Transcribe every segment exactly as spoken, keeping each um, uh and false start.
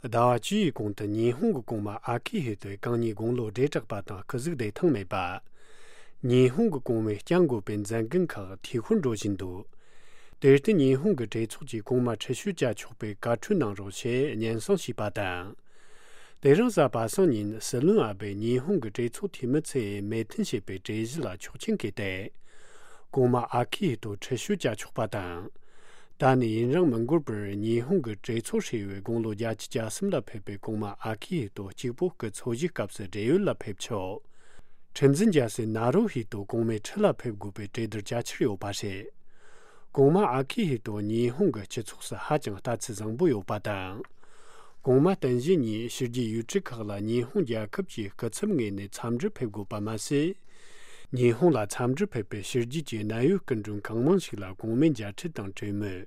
ཟླ་བ་བཅུ་ཡི་གོང་དུ་ཉི་ཧོང་གི་གོང་མ་ཨ་ཁི་ཧི་ཏོས་གང་ཉིད་དགུང་ལོ་བགྲེས་དྲགས་པ་དང་སྐུ་གཟུགས་བདེ་ཐང་མེད་པ། ཉི་ཧོང་གི་གོང་མས་བསྐྱང་དགོས་པའི་མཛད་འགན་ཁག་འཐུས་ཤོར་འགྲོ་བཞིན་འདུག་དེར་བརྟེན་ཉི་ཧོང་གི་གྲོས་ཚོགས་ཀྱིས་གོང་མ་ཁྲི་ཤོད་བཅའ་ཆོག་པའི་བཀའ་འཁྲོལ་གནང་རོགས་ཞེས་སྙན་སེང་ཞུས་པ་དང་། དེ་རིང་གཟའ་པ་སངས་ཉིན་སྲིད་བློན་ཨ་བྷེས་ཉི་ཧོང་གི་གྲོས་ཚོགས་འཐུས་མི་ཚོས་མོས་མཐུན་བྱས་པའི་གྲོས་གཞི་ལ་ཆོག་མཆན་བཀོད་དེ། གོང་མ་ཨ་ཁི་ཧི་ཏོ་ཁྲི་ཤོད་བཅའ་ཆོག་པ་དང་། ད་ནས་ཡུན་རིང་མི་འགོར་བར་ཉི་ཧོང་གི་གྲོས་ཚོགས་ཧྲིལ་བོའི་དགུང་ལོ་བརྒྱད་ཅུ་གྱ་གསུམ་ལ་ཕེབས་པའི་གོང་མ་ཨ་ཁི་ཧི་ཏོ་གཅིག་པོ་སྐུ་འཚོ་བཞུགས་སྐབས་སུ་བགྲེས་ཡོལ་ལ་ཕེབས་ཆོག་ཁྲི་འཛིན་རྒྱལ་སྲས་ནཱ་རུ་ཧི་ཏོ་གོང་མའི་ཁྲི་ལ་ཕེབས་དགོས་པའི་གྲོས་བསྡུར་བྱ་འཆར་ཡོད་པ་རེད། གོང་མ་ཨ་ཁི་ཧི་ཏོ་ཉི་ཧོང་གི་སྤྱི་ཚོགས་སུ་ཧ་ཅང་ལྟ་ཚུལ་བཟང་པོ་ཡོད་པ་དང་། གོང་མ་བསྟན་བཞི་ཉིད་ཕྱི་རྒྱལ་ཡུལ་གྲུ་ཁག་ལ་ཉི་ཧོང་རྒྱལ་ཁབ་ཀྱི་སྐུ་ཚབ་ངོས་ནས་འཚམས་འདྲིར་ཕེབས་དགོས་པ་མ་ཟད། ཉི་ཧོང་ལ་འཚམས་འདྲིར་ཕེབས་པའི་ཕྱི་རྒྱལ་གྱི་གནད་ཡོད་སྐུ་མགྲོན་གང་མང་ཞིག་ལ་གོང་མའི་མཇལ་འཕྲད་དང་གྲོས་མོལ།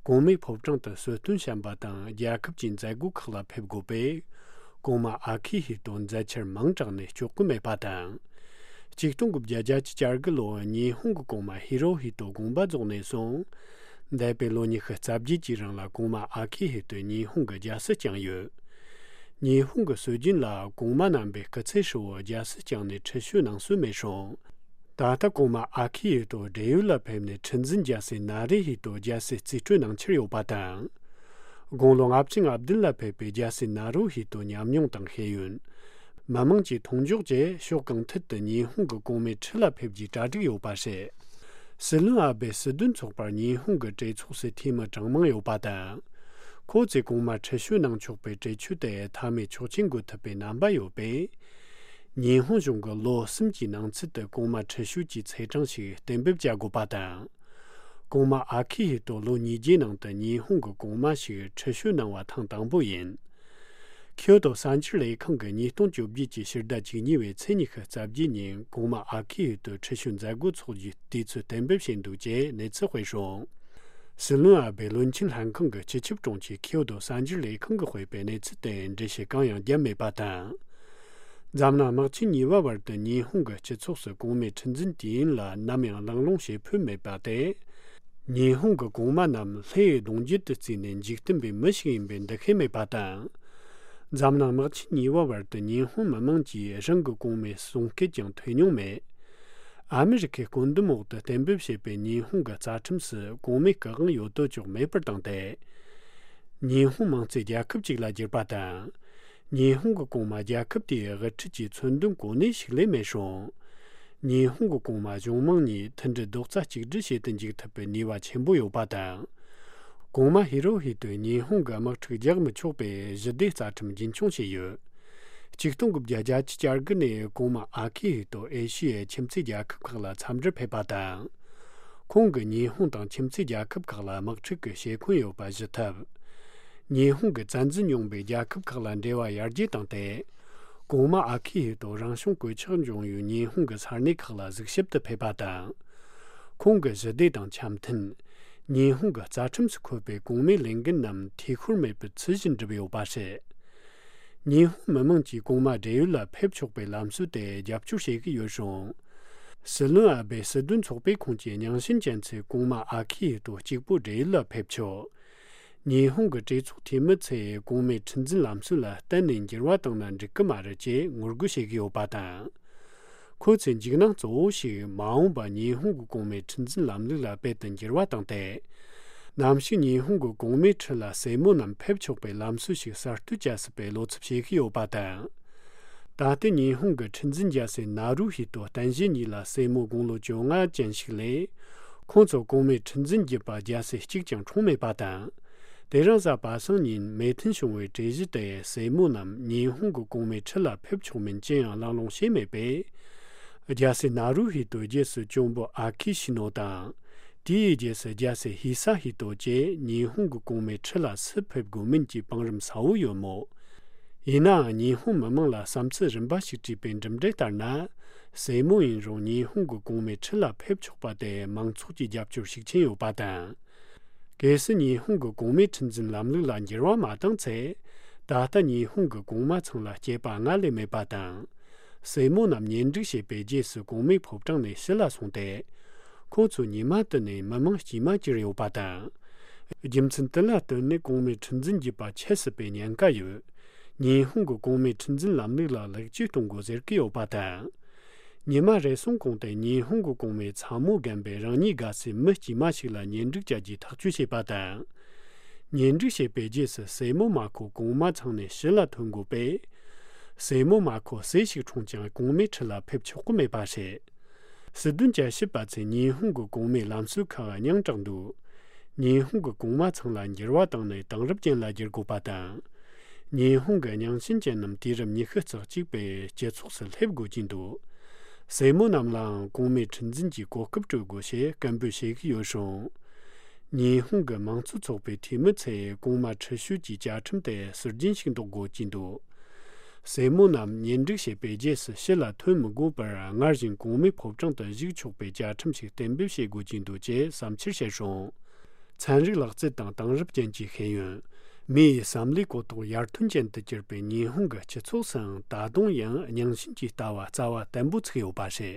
གོང་མའི་ཕོ་བྲང་དུ་གསོལ་སྟོན་བཤམས་པ་དང་རྒྱལ་ཁབ་ཀྱི་མཛད་སྒོ་ཁག་ལ་ཕེབས་དགོས་པས། གོང་མ་ཨ་ཁི་ཧི་ཏོ་མཛད་འཆར་མང་དྲགས་ནས་ལྕོགས་གི་མེད་པ་དང་། ཆིག་སྟོང་དགུ་བརྒྱ་བརྒྱད་ཅུ་གྱ་དགུ་ལོར་ཉི་ཧོང་གི་གོང་མ་ཧི་རོ་ཧི་ཏོ་དགོངས་པ་རྫོགས་ནས་བཟུང་། འདས་པའི་ལོ་ཉི་ཤུ་རྩ་བརྒྱད་ཀྱི་རིང་ལ་གོང་མ་ཨ་ཁི་ཧི་ཏོས་ཉི་ཧོང་གི་རྒྱལ་སྲིད་བསྐྱངས་ཡོད། ཉི་ཧོང་གི་སྲོལ་རྒྱུན་ལ་གོང་མ་རྣམ་པས་སྐུ་ཚེ་ཧྲིལ་བོར་རྒྱལ་སྲིད་བསྐྱངས་ནས་ཁྲི་ཤོད་གནང་སྲོལ་མེད་ཞིང་། ད་ལྟ་གོང་མ་ཨ་ཁི་ཧི་ཏོ་བགྲེས་ཡོལ་ལ་ཕེབས་ནས་ཁྲི་འཛིན་རྒྱལ་སྲས་ན་རེ་ཧི་ཏོ་རྒྱལ་སྲིད་རྩིས་སྤྲོད་གནང་འཆར་ཡོད་པ་དང་། དགུང་ལོ་ལྔ་བཅུ་ང་བདུན་ལ་ཕེབས་པའི་རྒྱལ་སྲས་ན་རུ་ཧི་ཏོ་ཉམས་མྱོང་དང་ཤེས་ཡོན། མི་དམངས་ཀྱི་མཐོང་འཇོག་བཅས་ཕྱོགས་གང་ཐད་དུ་ཉི་ཧོང་གི་གོང་མའི་ཁྲི་ལ་ཕེབས་རྒྱུའི་གྲ་སྒྲིག་ཡོད་པ་རེད། སྲིད་བློན་ཨ་བྷེ་སྲིད་དོན་ཚོགས་པར་ཉི་ཧོང་གི་གྲོས་ཚོགས་སུ་འཐུས་མི་གྲངས་མང་ཡོད་པ་དང་། ཁོ་ཚོས་གོང་མ་ཁྲི་ཤོད་གནང་ཆོག་པའི་གྲོས་ཆོད་དེ་མཐའ་མའི་ཆོག་མཆན་འགོད་ཐུབ་པའི་རྣམ་པ་ཡོད་པས། ཉི་ཧོང་གཞུང་གིས་ལོ་གསུམ་གྱི་ནང་ཚུད་དུ་གོང་མ་ཁྲི་ཤོད་ཀྱི་ཚེས་གྲངས་ཤིག་གཏན་འབེབས་བྱ་དགོས་པ་དང་། གོང་མ་ཨ་ཁི་ཧི་ཏོ་ལོ་ཉིས་བརྒྱའི་ནང་དུ་ཉི་ཧོང་གི་གོང་མ་ཞིག་ཁྲི་ཤོད་གནང་བ་ཐེངས་དང་པོ་ཡིན། ཁྱོ་ཏོ་གསར་འགྱུར་ལས་ཁང་གིས་ཉིས་སྟོང་བཅོ་བརྒྱད་ཀྱི་ཕྱི་ཟླ་བཅུ་གཉིས་པའི་ཚེས་ཉི་ཤུ་རྩ་བརྒྱད་ཉིན་གོང་མ་ཨ་ཁི་ཧི་ཏོའི་ཁྲི་ཤོད་མཛད་སྒོ་འཚོགས་རྒྱུའི་དུས་ཚོད་གཏན་འབེབས་བྱས་འདུག་ཅེས་གནས་ཚུལ་སྤེལ་སོང་། སྲིད་བློན་ཨ་བྷེ་བློན་ཆེན་ལྷན་ཁང་གི་སྤྱི་ཁྱབ་དྲུང་ཆེ་ཁྱོ་ཏོ་གསར་འགྱུར་ལས་ཁང་གིས་སྤེལ་བའི་གནས་ཚུལ་དེར་འགྲེལ་བཤད་གང་ཡང་བརྒྱབ་མེད་པ་དང་། འཛམ་གླིང་དམག་ཆེན་གཉིས་པ་བར་དུ་ཉི་ཧོང་གི་སྤྱི་ཚོགས་སུ་གོང་མའི་ཁྲི་འཛིན་དུས་ཡུན་ལ་ནམ་ཡང་གླེང་སློང་བྱེད་ཕོད་མེད་པ་དེ། ཉི་ཧོང་གི་གོང་མ་རྣམས་ལྷའི་གདུང་རྒྱུད་དུ་བརྩིས་ནས་འཇིག་རྟེན་པའི་མི་ཞིག་ཡིན་པའི་འདུ་ཤེས་མེད་པ་དང་། འཛམ་གླིང་དམག་ཆེན་གཉིས་པ་བར་དུ་ཉི་ཧོང་མི་དམངས་ཀྱིས་རང་གི་གོང་མའི་གསུང་སྐད་ཀྱང་ཐོས་མྱོང་མེད། ཨ་མི་རི་ཁའི་བཀོད་འདོམས་འོག་ཏུ་གཏན་འབེབས་བྱས་པའི་ཉི་ཧོང་གི་རྩ་ཁྲིམས་སུ་གོང་མའི་སྐུ་དབང་ཡོད་དོ་ཅོག་མེད་པར་བཏང་སྟེ། ཉི་ཧོང་མིང་བརྩེགས་རྒྱལ་ཁབ་ཅིག་ལ་བསྒྱུར་པ་དང་། ཉི་ཧོང་གི་གོང་མ་རྒྱལ་ཁབ་དེའི་དབུ་ཁྲིད་ཀྱི་མཚོན་དོན་གོ་གནས་ཤིག་ལས་མེད་ཞིང་། ཉི་ཧོང་གི་གོང་མ་གཞུང་མང་གཉིས་མཐུན་སྒྲིལ་རྡོག་རྩ་གཅིག་སྒྲིལ་བྱེད་དུ་འཇུག་ཐུབ་པའི་ནུས་པ་ཆེན་པོ་ཡོད་པ་དང་། གོང་མ་ཧི་རོ་ཧི་ཏོས་ཉི་ཧོང་གི་དམག་འཁྲུག་རྒྱག་མི་ཆོག་པའི་ཞི་བདེ་རྩ་ཁྲིམས་རྒྱུན་འཁྱོངས་བྱས་ཡོད། ཆིག་སྟོང་དགུ་བརྒྱ་བརྒྱད་ཅུ་གྱ་དགུ་ནས་གོང་མ་ཨ་ཁི་ཧི་ཏོ་ཨེ་ཤི་ཡའི་ཁྱིམ་མཚེས་རྒྱལ་ཁབ་ཁག་ལ་འཚམས་འདྲིར་ཕེབས་པ་དང་། ཁོང་གིས་ཉི་ཧོང་དང་ཁྱིམ་མཚེས་རྒྱལ་ཁབ་ཁག་ལ་དམག་འཁྲུག་གི་ཞེ་འཁོན་ཡོད་པ་ཞི་ཐབས། ཉི་ཧོང་གིས་བཙན་འཛུལ་མྱོང་བའི་རྒྱལ་ཁབ་ཁག་ལ་འབྲེལ་བ་ཡར་རྒྱས་བཏང་སྟེ། གོང་མ་ཨ་ཁི་ཧི་ཏོ་རང་བྱུང་གོད་ཆག་འབྱུང་ཡུལ་ཉི་ཧོང་གི་ས་གནས་ཁག་ལ་གཟིགས་ཞིབ་ཏུ་ཕེབས་པ་དང་། ཁོང་གིས་ཞི་བདེ་དང་འཆམ་མཐུན། ཉི་ཧོང་གི་རྩ་ཁྲིམས་སུ་འཁོད་པའི་གོང་མའི་ལས་འགན་རྣམས་འཐུས་ཤོར་མེད་པར་ཚུལ་བཞིན་བསྒྲུབས་ཡོད་པ་རེད། ཉི་ཧོང་མི་དམངས་ཀྱིས་གོང་མ་བགྲེས་ཡོལ་ལ་ཕེབས་ཆོག་པའི་ལམ་སྲོལ་དེ་རྒྱབ་སྐྱོར་བྱེད་ཀྱི་ཡོད་ཞིང་། སྲིད་བློན་ཨ་བྷེ་སྲིད་དོན་ཚོགས་པས་ཁོང་གི་རྙིང་ཞེན་ཅན་ཚོས་གོང་མ་ཨ་ཁི་ཧི་ཏོ་གཅིག་པུ་བགྲེས་ཡོལ་ལ་ཕེབས་ཆོག་ཉི་ཧོང་གི་གྲོས་ཚོགས་འཐུས་མི་ཚོས་གོང་མའི་ཁྲི་འཛིན་ལམ་སྲོལ་ལ་གཏན་ནས་འགྱུར་བ་བཏང་ན་འགྲིག་གི་མ་རེད་ཅེས་ངོ་རྒོལ་བྱེད་ཀྱི་ཡོད་པ་དང་། ཁོ་ཚོའི་འཇིགས་སྣང་གཙོ་བོ་ཞིག་མ་འོངས་པར་ཉི་ཧོང་གི་གོང་མའི་ཁྲི་འཛིན་ལམ་ལུགས་ལ་རྦད་དེ་འགྱུར་བ་བཏང་སྟེ། ནམ་ཞིག་ཉི་ཧོང་གི་གོང་མའི་ཁྲི་ལ་སྲས་མོ་རྣམས་ཕེབས་ཆོག་པའི་ལམ་སྲོལ་ཞིག་གསར་གཏོད་བྱ་སྲིད་པའི་བློ་འཚབ་བྱེད་ཀྱི་ཡོད་པ་དང་། ད་ལྟའི་ཉི་ཧོང་གི་ཁྲི་འཛིན་རྒྱལ་སྲས་ན་རུ་ཧི་ཏོ་བསྟན་བཞི་གཉིས་ལ་སྲས་མོ་དགུང་ལོ་བཅོ་ལྔ་ཅན་ཞིག་ལས། ཁོང་ཚོ་གོང་མའི་ཁྲི་འཛིན་བརྒྱུད་པ་རྒྱལ་སྲས་གཅིག་ཀྱང་འཁྲུངས་མེད་པ་དང་། དེ་རིང་གཟའ་པ་སངས་ཉིན་མོས་མཐུན་བྱུང་བའི་གྲོས་གཞི་དེ་སྲས་མོ་རྣམས་ཉི་ཧོང་གི་གོང་མའི་ཁྲི་ལ་ཕེབས་ཆོག་མིན་ཅི་ཡང་གླེང་སློང་བྱས་མེད་པས། རྒྱལ་སྲས་ན་རུ་ཧི་ཏོའི་རྗེས་སུ་གཅུང་པོ་ཨ་ཁི་ཤི་ནོ་དང་། དེའི་རྗེས་སུ་རྒྱལ་སྲས་ཧི་ས་ཧི་ཏོ་བཅས་ཉི་ཧོང་གི་གོང་མའི་ཁྲི་ལ་སུ་ཕེབས་དགོས་མིན་གྱི་བང་རིམ་གསལ་བོ་ཡོད་མོད། ཡིན་ནའང་ཉི་ཧོང་མི་དམངས་ལ་བསམ་ཚུལ་རིམ་པ་ཞིག་དྲིས་པའི་གྲུབ་འབྲས་ལྟར་ན། སྲས་མོ་ཡིན་རུང་ཉི་ཧོང་གི་གོང་མའི་ཁྲི་ལ་ཕེབས་ཆོག་པ་དེ་མང་ཚོགས་ཀྱི་རྒྱབ་སྐྱོར་ཤུགས་ཆེན་ཡོད་པ་དང་། གལ་སྲིད་ཉི་ཧོང་གི་གོང་མའི་ཁྲི་འཛིན་ལམ་ལུགས་ལ་འགྱུར་བ་མ་བཏང་ཚེ། ད་ལྟ་ཉི་ཧོང་གི་གོང་མ་ཚང་ལ་སྐྱེས་པ་སྔར་ལས་མེད་པ་དང་། སྲས་མོ་རྣམས་གཉེན་སྒྲིག་བྱས་པའི་རྗེས་སུ་གོང་མའི་ཕོ་བྲང་ནས་ཕྱི་ལ་སོང་སྟེ། ཁོ་ཚོ་ཉི་མ་དུ་ནས་མི་དམངས་དཀྱུས་མ་གྱུར་ཡོད་པ་དང་། རྒྱུ་མཚན་དེ་ལ་བརྟེན་ནས་གོང་མའི་ཁྲི་འཛིན་བརྒྱུད་པ་ཆད་སྲིད་པའི་ཉེན་ཁ་ཡོད། ཉི་ཧོང་གི་གོང་མའི་ཁྲི་འཛིན་ལམ་ལུགས་ལ་ལེགས་བཅོས་གཏོང་དགོས་ཟེར་གྱི་ཡོད་པ་དང་། ཉི་མ་རེ་ཟུང་གོང་དུ་ཉི་ཧོང་གི་གོང་མའི་ཚ་མོ་རྒན་པས་རང་ཉིད་དགའ་སའི་མི་དཀྱུས་མ་ཞིག་ལ་གཉེན་སྒྲིག་བྱ་རྒྱུའི་ཐག་གཅོད་བྱས་པ་དང་། གཉེན་སྒྲིག་བྱས་པའི་རྗེས་སུ་སྲས་མོ་མ་ཁོ་གོང་མ་ཚང་ནས་ཕྱི་ལ་ཐོན་དགོས་པས། སྲས་མོ་མ་ཁོ་སྲས་ཤིག་འཁྲུངས་ཀྱང་གོང་མའི་ཁྲི་ལ་ཕེབས་ཆོག་གི་མེད་པ་རེད། སྲིད་དོན་བསྐྱར་ཞིབ་པ་ཚོས་ཉི་ཧོང་གི་གོང་མའི་ལམ་སྲོལ་ཁག་རྙིང་དྲགས་འདུག་ཉི་ཧོང་གི་གོང་མ་ཚང་ལ་འགྱུར་བ་བཏང་ནས་དེང་རབས་ཅན་ལ་བསྒྱུར་དགོས་པ་དང་། ཉི་ཧོང་གི་རྙིང་ཞེན་ཅན་རྣམས་དུས་རབས་ཉི་ཤུ་རྩ་གཅིག་པའི་སྤྱི་ཚོགས་སུ་སླེབས་དགོས་ཀྱི་འདུག་སྲས་མོ་རྣམས་ལའང་གོང་མའི་ཁྲི་འཛིན་གྱི་གོ་སྐབས་སྤྲོད་དགོས་ཞེས་སྐད་འབོད་བྱེད་ཀྱི་ཡོད་རུང་། ཉི་ཧོང་གི་མང་གཙོ་ཚོགས་པའི་འཐུས་མི་ཚོས་གོང་མ་ཁྲི་ཤོད་ཀྱི་བཅའ་ཁྲིམས་དེ་ཟུར་རྒྱན་ཞིག་འདོགས་དགོས་ཀྱི་འདུག་སྲས་མོ་རྣམས་གཉེན་སྒྲིག་བྱས་པའི་རྗེས་སུ་ཕྱི་ལ་ཐོན་མི་དགོས་པར་སྔར་བཞིན་གོང་མའི་ཕོ་བྲང་དུ་བཞུགས་ཆོག་པའི་བཅའ་ཁྲིམས་ཤིག་གཏན་འབེབས་བྱེད་དགོས་ཀྱི་འདུག་ཅེས་བསམ་འཆར་བཤད་བྱུང་། ཚན་རིག་ལག་རྩལ་དང་དེང་རབས་ཅན་གྱི་ཤེས་ཡོན། མི་ཡི་བསམ་བློའི་གོ་རྟོགས་ཡར་ཐོན་ཅན་དུ་གྱུར་པའི་ཉི་ཧོང་གི་སྤྱི་ཚོགས་སུའང་ད་དུང་ཡང་རྙིང་ཞེན་གྱི་ལྟ་བ་རྩ་བ་བརྟན་པོ་ཚུགས་ཡོད་པ་རེད།